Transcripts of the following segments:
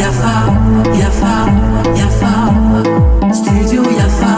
Yafa, yafa, yafa, studio Yafa.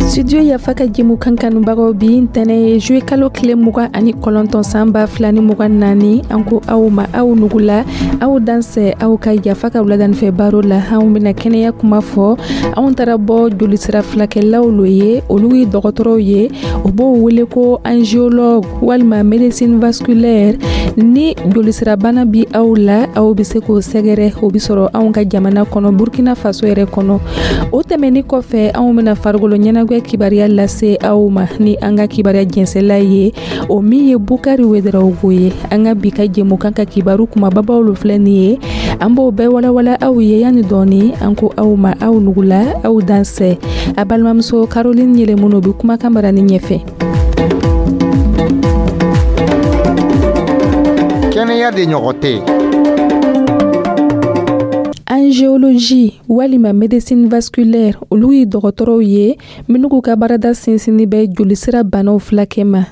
Studio Yafa ka jɛmukan kanubagaw, bi ntɛnɛ ye juillet kalo tile 29 san 2024. An ko aw ma aw nugula, aw dansɛ aw ka Yafa ka wuladanifɛ baro la. Anw bena kɛnɛya kuma fɔ. Anw taara bɔ jolisira filakɛlaw lo ye, olu ye dɔgɔtɔrɔw ye, o b'o wele ko angiologue walima médecine vasculaire. Ni jolisirabana bi aw la, aw be se k'o sɛgɛrɛ, o be sɔrɔ anw ka jamana kɔnɔ, Burkina Faso yɛrɛ kɔnɔ. O tɛmɛni kɔfɛ, anw bena farikolo ɲɛnagwɛ kibaruya lase aw ma ni an ka kibaruya jɛnsɛla ye, o min ye Bukari Wedarawogo ye. An ka bi ka jɛmukan ka kibaru kumababaw lo filɛ nin ye, an b'o bɛɛ walawala aw ye yanni dɔɔni. An ko aw ma aw nugula, aw dansɛ. A balimamuso Caroline Yɛlɛmunu bɛ kumakan bara ni ɲɛfɛ. Kɛnɛya de ɲɔgɔn tɛ. Angiologie walima médecine vasculaire, olu ye dɔgɔtɔrɔw ye minnu k'u ka baarada sinsinni bɛ jolisira banaw filakɛ ma.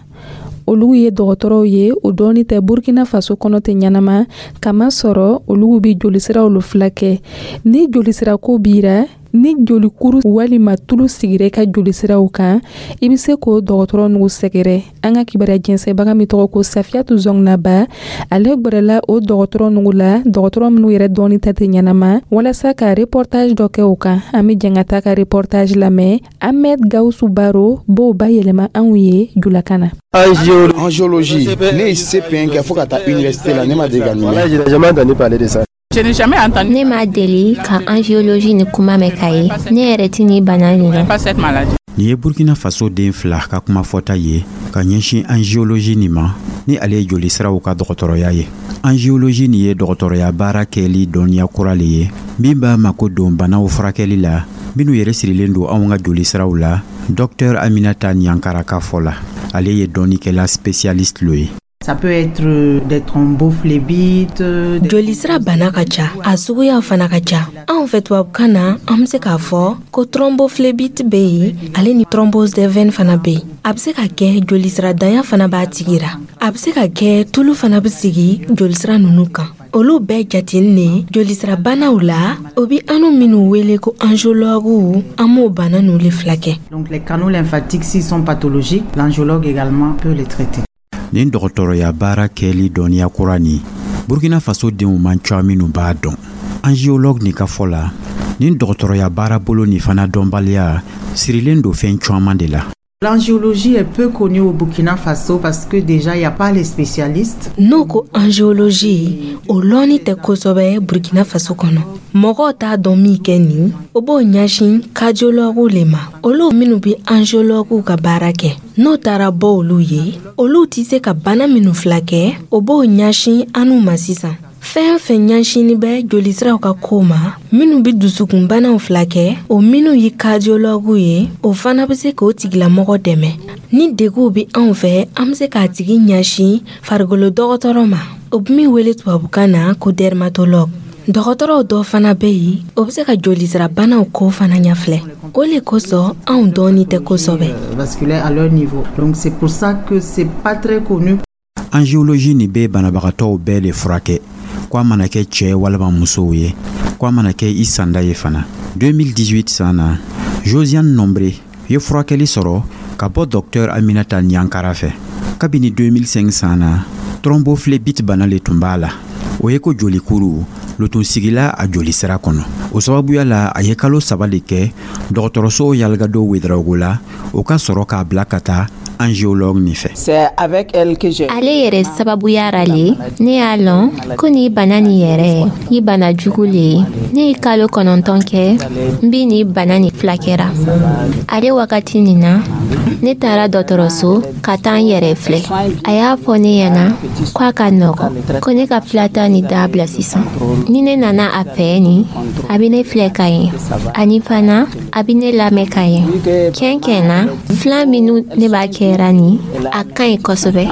Olu ye dɔgɔtɔrɔw ye, o dɔɔni tɛ Burkina Faso kɔnɔ tɛ ɲɛnama, kama sɔrɔ olu bɛ jolisiraw lo filakɛ. Ni jolisirako bira, ni jolikuru walima tulu sigira ka jolisiraw kan, i bɛ se k'o dɔgɔtɔrɔ nugu sɛgɛrɛ. An ka kibaruya jɛnsɛbaga min tɔgɔ ko Safiyatu Zɔngnaba, ale gwɛrɛla o dɔgɔtɔrɔ nugu la, dɔgɔtɔrɔ minnu yɛrɛ dɔɔni tɛ tɛ ɲɛnama, walasa ka reportage dɔ kɛ o kan. An bɛ jɛn ka taa ka reportage lamɛn. Ahmed Gawusu Baro b'o bayɛlɛma anw ye julakan na. Angiologie, ne ye CP1 kɛ fo ka taa université la, ne ma deli ka nin mɛn. Ne ma deli ka angiologie ni kuma mɛn ka ye. Ne yɛrɛ ti ni bana nin dɔn. Nin ye Burkina Faso den fila ka kuma fɔta ye ka ɲɛsin angiologie nin ma, ni ale ye jolisiraw ka dɔgɔtɔrɔya ye. Angiologie nin ye dɔgɔtɔrɔya baara kɛli dɔnniya kura le ye min b'a mako don banaw furakɛli la minnu yɛrɛ sirilen don anw ka jolisiraw la. Dɔktɛr Aminata Ɲankara ka fɔ la, ale ye dɔnnikɛla spécialiste lo ye. Ça peut être des thrombophlébite. Jolisira bana ka ca, a suguyaw fana ka ca. Anw fɛ tubabukan na, an be se k'a fɔ ko thrombophlébite be yen, ale ni thrombose des veines fana be yen. A be se ka kɛ jolisira danya fana b'a tigi ra. A be se ka kɛ tulu fana be sigi jolisira nunu kan. Olu bɛɛ jateminɛ jolisira banaw la, o bi anu minnu wele ko angiologuw, an b'o bana ninnu le filakɛ. Donc les canaux lymphatiques, s'ils sont pathologiques, l'angiologue également peut les traiter. Nin dɔgɔtɔrɔya baara kɛli dɔnniya kura nin, Burkina Faso denw man ca minnu b'a dɔn. Angiologue nin ka fɔ la, nin dɔgɔtɔrɔya baarabolo nin fana dɔnbaliya sirilen don fɛn caman de la. L'angiologie est peu connue au Burkina Faso parce que déjà il n'y a pas les spécialistes. N'o ko angiologie, o lɔnni tɛ kosɛbɛ Burkina Faso kɔnɔ. Mɔgɔw t'a dɔn min kɛ nin, o b'o ɲɛsin cardiologuw le ma, olu minnu bɛ angiologuw ka baara kɛ. N'o taara bɔ olu ye, olu tɛ se ka bana minnu filakɛ, o b'o ɲɛsin anu ma sisan. Fɛn fɛn ɲɛsinni bɛ jolisiraw ka ko ma, minnu bɛ dusukunbanaw filakɛ, o minnu ye cardiologuw ye, o fana bɛ se k'o tigilamɔgɔ dɛmɛ. Ni deguw bɛ anw fɛ, an bɛ se k'a tigi ɲɛsin farikolo dɔgɔtɔrɔ ma, o bɛ min wele tubabukan na ko dermatologue. Dɔgɔtɔrɔw dɔ fana bɛ yen, o bɛ se ka jolisirabanaw ko fana ɲɛfilɛ. O le kosɔn anw dɔɔni tɛ kosɛbɛ. Vasculaire à leur niveau. Donc c'est pour ça que c'est pas très connu. Angiologie nin bɛ banabagatɔw bɛɛ de furakɛ, ko a mana kɛ cɛɛ walima musow ye, ko a mana kɛ i sanda ye fana. 2018 san na, Josiane Nombre ye furakɛli sɔrɔ ka bɔ dɔktɛr Aminata Ɲankara fɛ. Kabini 2005 san na, thrombophlébite bana le tun b'a la, o ye ko jolikuru lo tun sigila a jolisira kɔnɔ. O sababuya la, a ye kalo 3 de kɛ dɔgɔtɔrɔso Yalgado Wedarawogo la, o ka sɔrɔ k'a bila ka taa angiologue nin fɛ. Ale yɛrɛ sababuya ra le ne y'a lɔn ko ni bana nin yɛrɛ ye bana jugu le ye. Ne ye kalo 9 kɛ n bi ni bana nin filakɛra. Ale wagati nin na, ne taara dɔgɔtɔrɔso ka taa n yɛrɛ filɛ. A y'a fɔ ne ɲɛna ko a ka nɔgɔn, ko ne ka filata ni dabila sisan. Ni ne nana a fɛ nin, a bɛ ne filɛ ka ɲɛ, ani fana a bɛ ne lamɛn ka ɲɛ. Tiɲɛ tiɲɛ na, filan minnu ne b'a kɛra nin, a ka ɲi kosɛbɛ.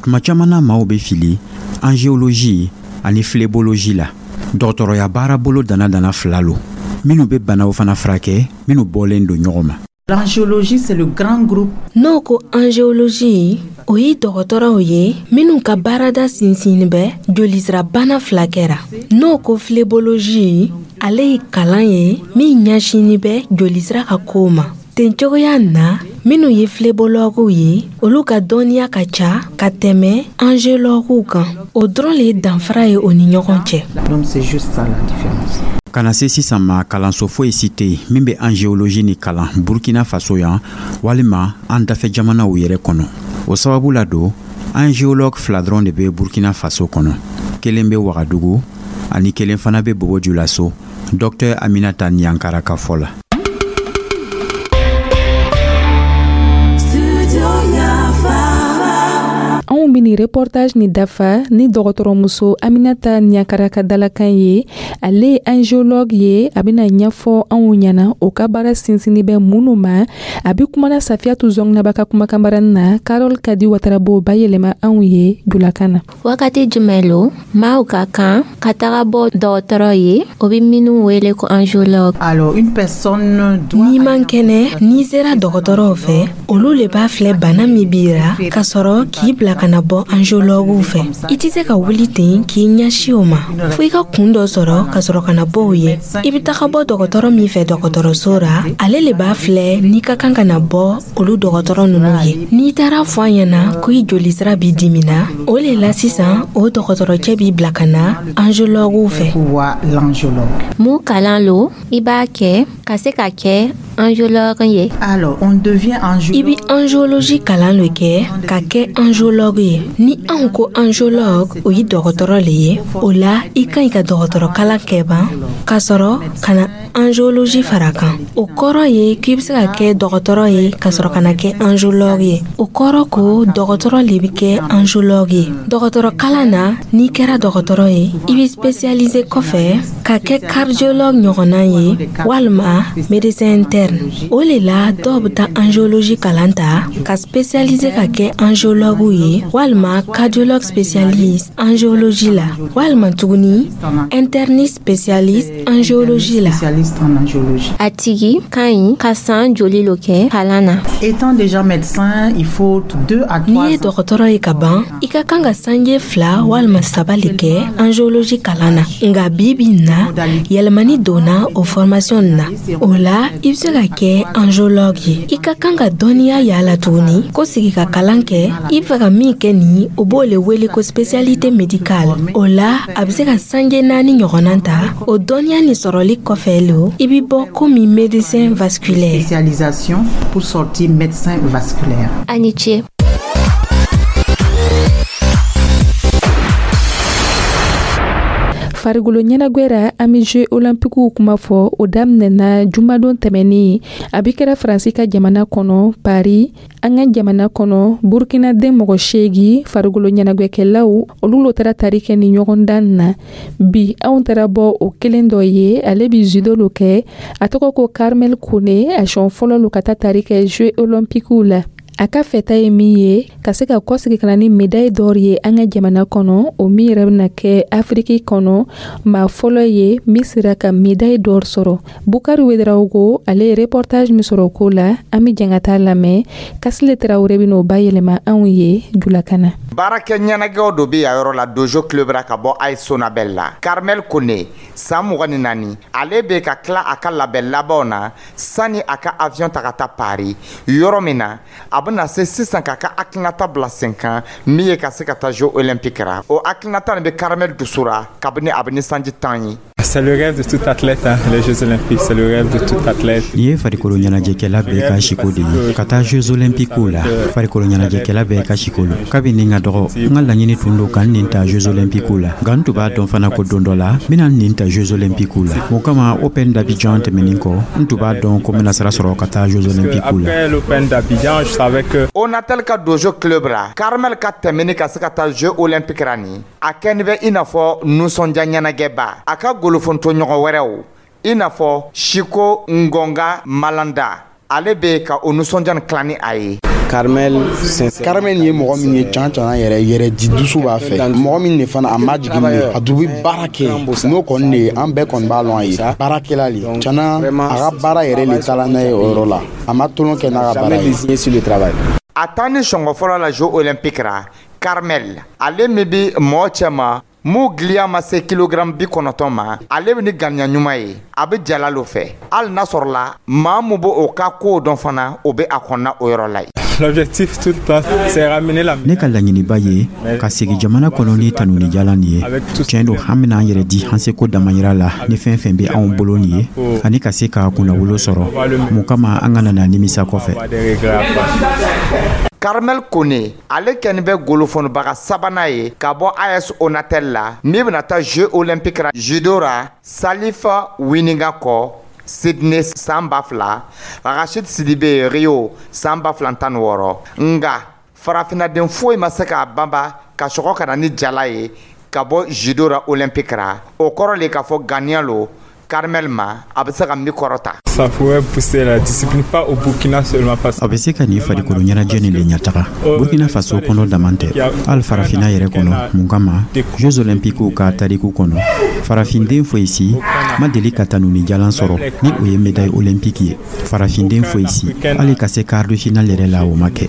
Tuma caman na, maaw bɛ fili angiologie ani phlébologie la. Dɔgɔtɔrɔya baarabolo dana dana fila lo minnu bɛ banaw fana furakɛ minnu bɔlen don ɲɔgɔn ma. L'angiologie, c'est le grand groupe. N'o ko angiologie, o ye dɔgɔtɔrɔw ye minnu ka baarada sinsinni bɛ jolisirabana filakɛ ra. N'o ko phlébologie, ale ye kalan ye min ɲɛsinni bɛ jolisira ka kow ma. Ten cogoya na, minnu ye phlébologuw ye, olu ka dɔnniya ka ca ka tɛmɛ angiologuw kan. O dɔrɔn le ye danfara ye o ni ɲɔgɔn cɛ. Donc c'est juste ça la différence. Ka na se sisan ma, kalanso foyi si tɛ yen min bɛ angiologie ni kalan Burkina Faso yan walima an dafɛ jamanaw yɛrɛ kɔnɔ. O sababu la don, angiologue 2 dɔrɔn de bɛ Burkina Faso kɔnɔ. Kelen bɛ Wagadugu ani kelen fana bɛ Bobo Julaso. Docteur Aminata Niankara ka fɔ la. Anw bɛ nin reportage ni dafa ni dɔgɔtɔrɔmuso Aminata Niankara ka dalakan ye. Ale ye angiologue ye, a bɛna ɲɛfɔ anw ɲɛna o ka baara sinsinni bɛ minnu ma. A bɛ kumana Safiyatu Zɔnginaba ka kumakanbarani na, Carole Kadi Watara b'o bayɛlɛma anw ye julakan na. Wagati jumɛn lo maaw ka kan ka taga bɔ dɔgɔtɔrɔ ye, o bɛ minnu wele ko angiologue? Alors une personne doit N'i man kɛnɛ, n'i sera dɔgɔtɔrɔw fɛ, olu le b'a filɛ bana min b'i ra ka sɔrɔ k'i bila ka na bɔ angiologuw fɛ. I tɛ se ka wuli ten k'i ɲɛsin o ma fo i ka kun dɔ sɔrɔ ka sɔrɔ ka na bɔ o ye. I bɛ taga bɔ dɔgɔtɔrɔ min fɛ dɔgɔtɔrɔso ra, ale le b'a filɛ n'i ka kan ka na bɔ olu dɔgɔtɔrɔ ninnu ye. N'i taara fɔ a ɲɛna ko i jolisira b'i dimina, o le la sisan o dɔgɔtɔrɔcɛ b'i bila ka na angiologuw fɛ. Mun kalan lo i b'a kɛ ka se ka kɛ angiologue ye? Alors, on devient angiologue. I bɛ angiologie kalan le kɛ ka kɛ angiologue ye. Ni anw ko angiologue, o ye dɔgɔtɔrɔ le ye. O la, i ka ɲi ka dɔgɔtɔrɔ kalan kɛ ban ka sɔrɔ ka na angiologie fara kan. O kɔrɔ ye k'i bɛ se ka kɛ dɔgɔtɔrɔ ye ka sɔrɔ ka na kɛ angiologue ye. O kɔrɔ ko dɔgɔtɔrɔ le bɛ kɛ angiologue ye. Dɔgɔtɔrɔ kalan na, n'i kɛra dɔgɔtɔrɔ ye, i bɛ spécialiser kɔfɛ ka kɛ cardiologue ɲɔgɔnna ye walima médecin interne. O le la dɔw bɛ taa angiologie kalan ta ka spécialiser ka kɛ angiologue ye walima cardiologue spécialiste angiologie la walima tuguni interniste spécialiste angiologie la. A tigi ka ɲi ka san joli lo kɛ kalan na? Étant déjà médecin, il faut 2 à 3 N'i ye dɔgɔtɔrɔ ye ka ban, i ka kan ka sanje 2 walima 3 le kɛ angiologie kalan na. Nka bi bi in na, yɛlɛmani donna o formation na. O la, i bɛ se ka kɛ angiologue ye. I ka kan ka dɔnniya yala tuguni ko sigi ka kalan kɛ. I bɛ fɛ ka min kɛ nin, o b'o le wele ko spécialité médicale. O la, a bɛ se ka sanje 4 ɲɔgɔnna ta. O dɔnniya nin sɔrɔli kɔfɛ lo, i bɛ bɔ komi médecin vasculaire. Spécialisation pour sortir médecin vasculaire. A ni ce. Farikolo ɲɛnagwɛra, an bɛ Jeux olympiques kuma fɔ. O daminɛna jumadon tɛmɛnen, a bɛ kɛra Faransi ka jamana kɔnɔ Paris. An ka jamana kɔnɔ, Burkina den mɔgɔ 8 farikolo ɲɛnagwɛkɛlaw, olu lo taara tari kɛ ni ɲɔgɔndan na. Bi anw taara bɔ o kelen dɔ ye, ale bɛ judo lo kɛ, a tɔgɔ ko Carmel Kone. A siɲɛ fɔlɔ lo ka taa tari kɛ Jeux olympiques la. A ka fɛta ye min ye, ka se ka kɔsegi ka na ni médaille d'or ye an ka jamana kɔnɔ, o min yɛrɛ bɛna kɛ Afiriki kɔnɔ maa fɔlɔ ye min sera ka médaille d'or sɔrɔ. Bukari Wedarawogo, ale ye reportage min sɔrɔ o ko la, an bɛ jɛn ka taa lamɛn. Kasile Tarawele bɛna o bayɛlɛma anw ye julakan na. Baarakɛ ɲɛnajɛw dɔ bɛ yan yɔrɔ la Dojo Club ra ka bɔ AS Sonabel la. Carmel Kone, san 24, ale bɛ ka tila a ka labɛn labanw na sani a ka avion ta ka taa Paris, yɔrɔ min na a bɛna se sisan k'a ka hakilinata bila sen kan min ye ka se ka taa Jeux olympiques ra. O hakilinata nin bɛ Carmel dusu ra kabini a bɛ ni sanji 10 ye. C'est le rêve de tout athlète, hein, les Jeux Olympiques, c'est le rêve de tout athlète. Nin ye farikolo ɲɛnajɛkɛla bɛɛ ka siko de ye ka taa Jeux Olympiques la. Farikolo ɲɛnajɛkɛla bɛɛ ka siko lo. Kabini n ka dɔgɔ, n ka laɲini tun don ka n nin ta Jeux Olympiques la. Nka n tun b'a dɔn fana ko don dɔ la, n bɛna n nin ta Jeux Olympiques la. O kama, Open d'Abidjan tɛmɛnen kɔ, n tun b'a dɔn ko n bɛna sira sɔrɔ ka taa Jeux Olympiques la. Après l'Open d'Abidjan, je savais que Onatel ka Dojo Club ra, Carmel ka tɛmɛni ka se ka taa Jeux Olympiques ra nin, a kɛni bɛ i n'a fɔ nisɔndiya ɲɛnajɛba. A ka golofonto ɲɔgɔn wɛrɛw i n'a fɔ Siko Ngonga Malanda, ale bɛ ka o nisɔndiya nin tila ni a ye. Carmel, Carmel ye mɔgɔ min ye, can can yɛrɛ yɛrɛ di dusu b'a fɛ, mɔgɔ min de fana a ma jigin de, a dun bɛ baara kɛ. N'o kɔni de ye, an bɛɛ kɔni b'a lɔn a ye baarakɛla le. Cana, a ka baara yɛrɛ le taara n'a ye o yɔrɔ la, a ma tolon kɛ n'a ka baara ye. A taa ni sɔngɔ fɔlɔ la Jeux olympiques ra, Carmel, ale min bi mɔɔ cɛ ma mun giliya ma se kilogramme 90 ma, ale bɛ ni ganiya ɲuman ye, a bɛ jala lo fɛ. Hali n'a sɔrɔla maa mun b'o o ka kow dɔn fana, o bɛ a kɔnɔna o yɔrɔ la yen. L'objectif tout le temps, c'est ramener la Ne ka laɲiniba ye ka segi jamana kɔnɔ ni tanunijalan nin ye. Tiɲɛ don, an bena an yɛrɛ di an seko damayira la ni fɛn fɛn be anw bolo nin ye, ani ka se ka kunnawolo sɔrɔ mun kama an kana na nimisa kɔfɛ. Carmel Kone, ale kɛni bɛ golofonibaga sabanan ye ka bɔ AS Onatel la min bɛna taa Jeux olympiques ra judo ra, Salifa Wininga kɔ Sydney san 2000, Rachid Sidibe Rio san 2016. Nga farafinaden foyi ma se k'a banba ka sɔgɔ ka na ni jala ye ka bɔ judo ra olympique ra. O kɔrɔ le k'a fɔ ganiya lo Carmel ma, a bɛ se ka min kɔrɔta. Ça pourrait pousser la discipline, pas au Burkina seulement, parce A bɛ se ka nin farikolo ɲɛnajɛ nin le ɲɛtaga Burkina Faso kɔnɔ daman tɛ, hali Farafina yɛrɛ kɔnɔ. Mun kama, Jeux olympiques ka tariku kɔnɔ, farafinden foyi si ma deli ka tanuni jalan sɔrɔ ni o ye médaille olympique ye. Farafinden foyi si, hali ka se quart de finale yɛrɛ la, o ma kɛ.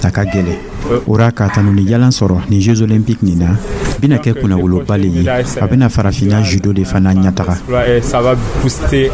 A ka gɛlɛ o ra ka tanuni jalan sɔrɔ nin Jeux olympiques nin na, bɛna kɛ kunnawoloba le ye. A bɛna Farafina judo de fana ɲɛtaga. Et ça va booster.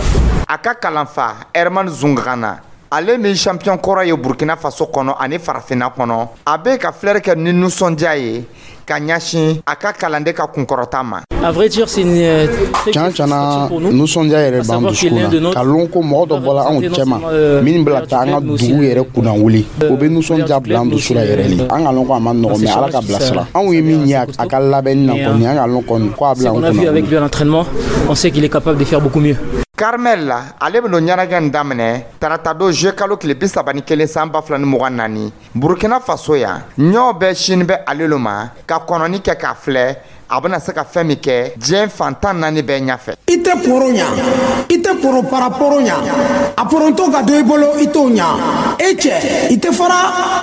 A ka kalanfa Herman Zungana, ale min champion kɔrɔ ye Burkina Faso kɔnɔ ani Farafinna kɔnɔ, a bɛ ka filɛri kɛ ni nisɔndiya ye ka ɲɛsin a ka kalanden ka kunkɔrɔta ma. À vrai dire, c'est une Can cana, nisɔndiya yɛrɛ b'an dusukun na ka lɔn ko mɔgɔ dɔ bɔla anw cɛma min bɛna taa an ka dugu yɛrɛ kunna wuli. O bɛ nisɔndiya bila an dusu la yɛrɛ le. An ka lɔn ko a ma nɔgɔn, mais Ala ka bilasira. Anw ye min ye a ka labɛnni na kɔni, an ka lɔn kɔni ko a bila an qu'on a vu kunna. avec lui à l'entraînement, on sait qu'il est capable de faire beaucoup mieux. Carmel la, ale bɛn'o ɲɛnajɛ nin daminɛ tarata don, juillet kalo tile 31 san 2024, Burkina Faso yan. Ɲɔ bɛɛ sini bɛ ale lo ma ka kɔnɔni kɛ k'a filɛ a bɛna se ka fɛn min kɛ diɲɛ fantan naani bɛɛ ɲɛfɛ. I tɛ poro ɲa, i tɛ poro para poro ɲa, a poronto ka don i bolo, i t'o ɲa. E cɛ, i tɛ fara.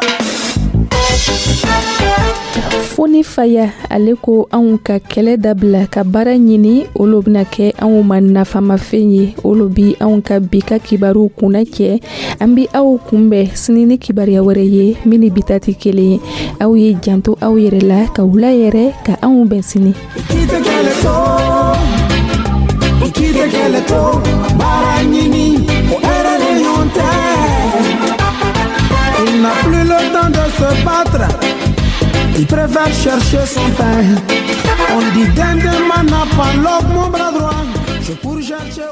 Foni Faya, ale ko anw ka kɛlɛ dabila ka baara ɲini, olu bɛna kɛ anw ma nafamafɛn ye. Olu bi anw ka bi ka kibaruw kunna cɛ. An bi aw kunbɛn sini ni kibaruya wɛrɛ ye min ni bi ta tɛ kelen ye. Aw ye janto aw yɛrɛ la, ka wula yɛrɛ, ka anw bɛn sini. I tɛ kɛlɛ to, i tɛ kɛlɛ to, baara ɲini, o hɛrɛ de ɲɔgɔn tɛ. Il n'a plus le temps de se battre, il préfère chercher son pain. On dit dinde mana pas l'homme, mon bras droit, je pour chercher.